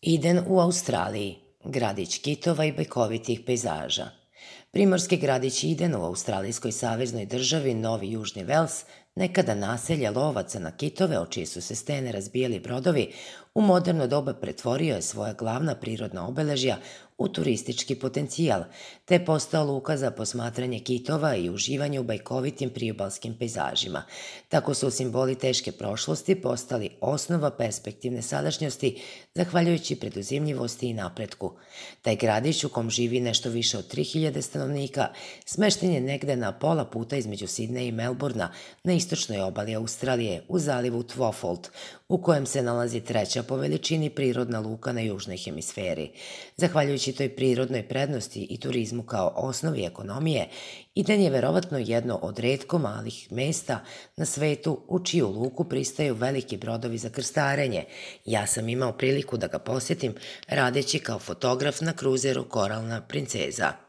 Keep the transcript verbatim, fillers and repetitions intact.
Iden u Australiji, gradić kitova i bajkovitih pejzaža. Primorski gradić Iden u australijskoj saveznoj državi Novi Južni Vels, nekada naselje lovaca na kitove, o čije su se stene razbijali brodovi, u moderno doba pretvorio je svoja glavna prirodna obeležja u turistički potencijal, te je postao luka za posmatranje kitova i uživanje u bajkovitim priobalskim pejzažima. Tako su simboli teške prošlosti postali osnova perspektivne sadašnjosti, zahvaljujući preduzimljivosti i napretku. Taj gradić, u kom živi nešto više od tri hiljade stanovnika, smešten je negde na pola puta između Sidneja i Melburna, na istočnoj obali Australije, u zalivu Twofold, u kojem se nalazi treća po veličini prirodna luka na južnoj hemisferi. Zahvaljujući toj prirodnoj prednosti i turizmu kao osnovi ekonomije, Iden je verovatno jedno od retko malih mesta na svetu u čiju luku pristaju veliki brodovi za krstarenje. Ja sam imao priliku da ga posjetim radeći kao fotograf na kruzeru Koralna princeza.